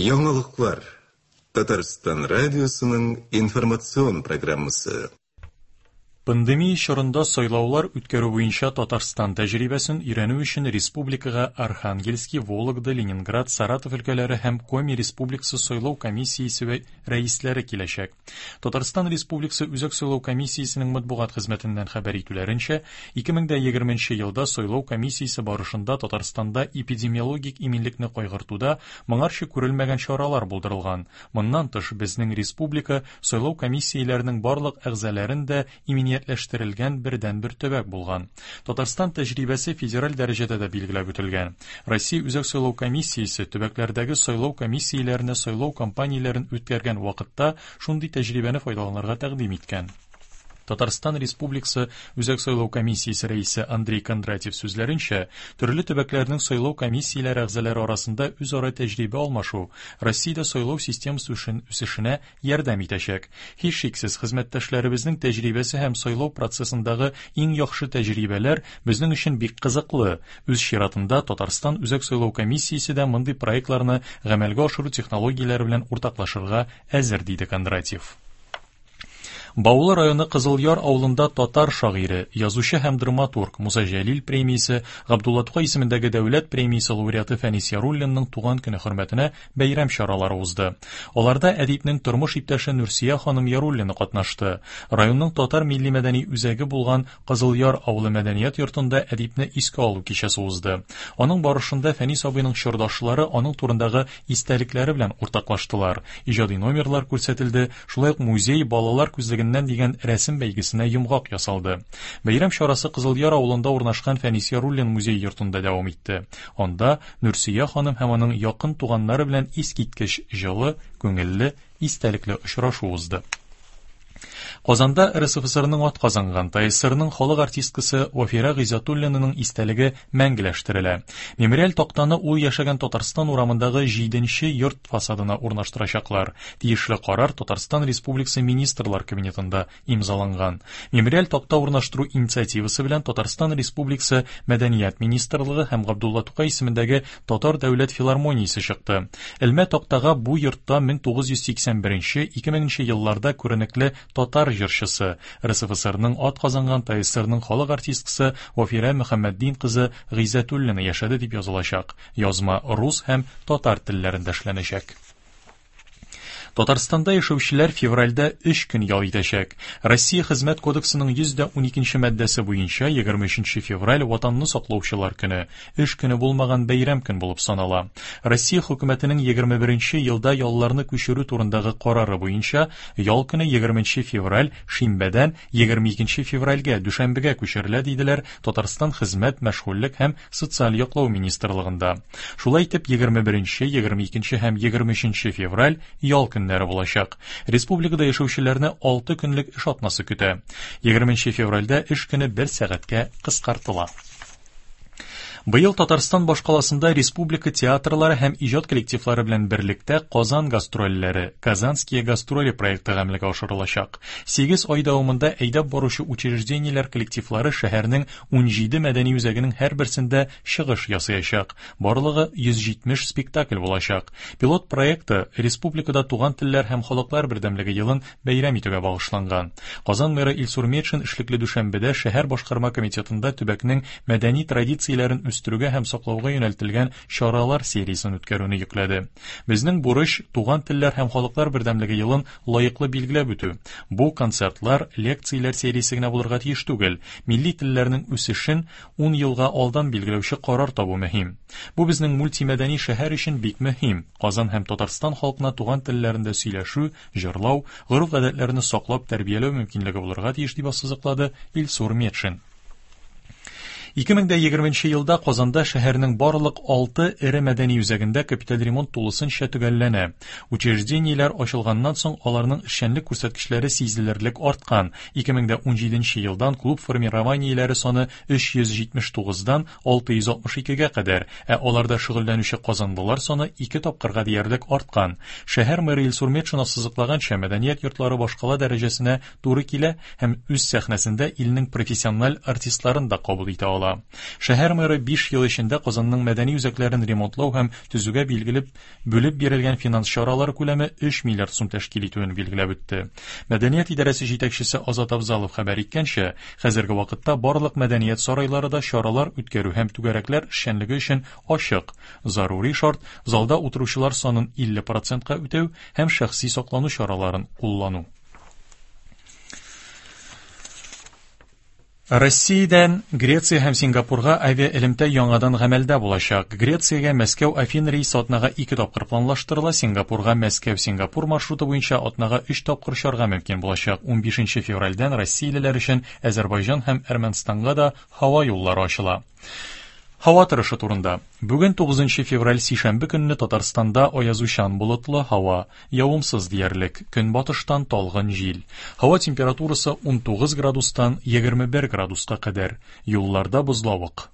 Яңалыклар. Татарстан радиосының информацион программасы. Пандемия чорында сайлаулар үткәрү буенча Татарстан тәҗрибәсен өйрәнү өчен республикага Архангельский, Вологда, Ленинград, Саратов өлкәләре һәм Коми Республикасы сайлау комиссиясе рәисләре киләчәк. Татарстан Республикасы Үзәк сайлау комиссиясенең матбугат хезмәтеннән хәбәр итүләренчә, 2020 елда сайлау комиссиясе барышында Татарстанда эпидемиологик иминлекне кайгыртуда моңарчы күрелмәгән чаралар булдырылган. Моннан тыш, безнең республика сайлау комиссияләренең барлык әгъзаларын да иминиятләштерелгән бердәнбер төбәк булган. Татарстан тәҗрибәсе федераль дәрәҗәдә дә билгеләп үтелгән. Россия Үзәк сайлау комиссиясе төбәкләрдәге сайлау комиссияләренә сайлау кампанияләрен үткәргән вакытта шундый тәҗрибәне файдаланырга тәкъдим иткән. Татарстан Республикасы Үзәк сайлау комиссиясе рәисе Андрей Кондратьев сүзләренчә, төрле төбәкләрнең сайлау комиссияләре әгъзалары арасында үзара тәҗрибә алмашу Россиядә сайлау системасы үсешенә ярдәм итәчәк. Һичшиксез, хезмәттәшләребезнең тәҗрибәсе һәм сайлау процессындагы иң яхшы тәҗрибәләр безнең өчен бик кызыклы. Үз чиратында, Татарстан Үзәк сайлау комиссиясе дә мондый проектларны гамәлгә ашыру технологияләре белән уртаклашырга әзер, диде Кондратьев. Баулы районы Кызылъяр авылында татар шагыйре, язучы һәм драматург, Муса Җәлил премиясе, Габдулла Тукай исемендәге дәүләт премиясе лауреаты Фәнис Яруллинның туган көне хөрмәтенә бәйрәм чаралары узды. Аларда әдипнең тормыш иптәше Нурсия ханым Яруллина катнашты. Районның татар милли-мәдәни үзәге булган Кызылъяр авылы мәдәният йортында әдипне искә алу кичәсе узды. Аның барышында Фәнис абыйның чордашлары аның турындагы истәлекләре белән уртаклаштылар, иҗади номерлар күрсәтелде, шулай ук музей балалар күзлегеннән дигән рәсем бәйгесенә йомгак ясалды. Бәйрәм чарасы Кызылъяр авылында урнашкан Фәнис Яруллин музей-йортында дәвам итте. Анда Нурсөя ханым һәм аның якын туганнары белән искиткеч җылы, күңелле, истәлекле очрашу узды. Казанда РСФСРның атказанган, ТАССРның халык артисткасы Вафира Гыйззәтуллинаның истәлеге мәңгеләштерелә. Мемориаль тактаны ул яшәгән Татарстан урамындагы җиденче йорт фасадына урнаштырачаклар. Тиешле карар Татарстан Республикасы Министрлар Кабинетында имзаланган. Мемориаль такта урнаштыру инициативасы белән Татарстан Республикасы Мәдәният министрлыгы һәм Габдулла Тукай исемендәге Татар дәүләт филармониясе чыкты. Элмә тактага бу йортта 1981-2000 елларда күренекле татар җырчысы, РСФСРның атказанган ТАССРның халык артисткасы Вафирә Мөхәммәтдин кызы Гыйззәтуллина яшәде дип язылачак. Язма рус һәм татар телләрендә эшләнәчәк. Татарстанда яшәүчеләр февральдә өч көн ял итәчәк. Россия Хезмәт кодексының 112 маддәсе буенча 23 февраль Ватанны саклаучылар көне, эш көне булмаган бәйрәм көн булып санала. Россия хөкүмәтенең 21 елда ялларны күчерү турындагы карары буенча ял көне 20 февраль шимбәдән 22 февральгә дүшәмбегә күчерелә, диделәр Татарстан Хезмәт, мәшгульлек һәм социаль яклау министрлыгында. Шулай итеп, 21, 22 һәм 23 февраль ял көннәре булачак. Республикада яшәүчеләрне 6 көнлек эш атнасы көтә. 20 февральдә эш көне бер сәгатькә кыскартыла. Быел Татарстан башкаласында республика театрлары һәм иҗат коллективлары белән берлектә Казан гастрольләре, Казанские гастроли проекты гамәлгә ашырылачак. 8 ай дәвамында әйдәп баручы учреждениеләр коллективлары шәһәрнең 17 мәдәни үзәгенең һәрберсендә чыгыш ясаячак. Барлыгы 170 спектакль булачак. Пилот проекты республикада туган телләр һәм халыклар бердәмлеге елын бәйрәм итүгә багышланган. Казан мэры Илсур Метшин эшлекле дүшәмбедә шәһәр башкарма комитетында төбәкнең мәдәни традицияләрен үстерүгә һәм саклауга юнәлтелгән чаралар сериясен үткәрүне йөкләде. Безнең бурыч туган телләр һәм халыклар бердәмлеге елын лаеклы билгеләп үтү. Бу концертлар, лекцияләр сериясе генә булырга тиеш түгел. Милли телләрнең үсешен 10 елга алдан билгеләүче карар табу мөһим. Бу безнең мультимәдәни шәһәр өчен бик мөһим. Казан һәм Татарстан халкына туган телләрендә сөйләшү, җырлау, гореф-гадәтләрне саклап тәрбияләү мөмкинлеге булырга тиеш, дип ассызыклады Илсур Метшин. 2020 елда Казанда шәһәрнең барлык 6 эре мәдәни үзәгендә капиталь ремонт тулысынча төгәлләнә. Учреждениеләр ачылганнан соң аларның эшчәнлек күрсәткечләре сизелерлек арткан. 2017 елдан клуб формированиеләре саны 379 дан 662 гә кадәр, ә аларда шөгыльләнүче казанлылар саны ике тапкырга диярлек арткан. Шәһәр мэры Илсур Метшин ассызыклаганча, мәдәният йортлары башкала дәрәҗәсенә туры килә һәм үз сәхнәсендә илнең профессиональ артистларын да кабул итә ала. кала. Шәһәр мэры 5 ел эчендә Казанның мәдәни үзәкләрен ремонтлау һәм төзүгә билгелеп бүлеп бирелгән финанс чаралары күләме 3 миллиард сум тәшкил итүен билгеләп үтте. Мәдәният идарәсе җитәкчесе Азат Абзалов хәбәр иткәнчә, хәзерге вакытта барлык мәдәният сарайлары да чаралар үткәрү һәм түгәрәкләр эшчәнлеге өчен ачык. Зарури шарт залда утыручылар санын 50 процентка үтәү һәм шәхси саклану чараларын куллану. Россиядән Греция һәм Сингапурга авиаэлемтә яңадан гамәлдә булачак. Грециягә Мәскәү-Афин рейсы атнага 2 тапкыр планлаштырыла, Сингапурга Мәскәү-Сингапур маршруты буенча атнага 3 тапкыр очарга мөмкин булачак. 15 февральдән россиялеләр өчен Әзербайҗан һәм Әрмәнстанга да һава юллары ачыла. Һава торышы турында. Бүген 9 февраль сишәмбе көнне Татарстанда аязучан болытлы һава, явымсыз диярлек, көнбатыштан талгын җил. Һава температурасы 19 градустан 21 градуска кадәр. Юлларда бозлавык.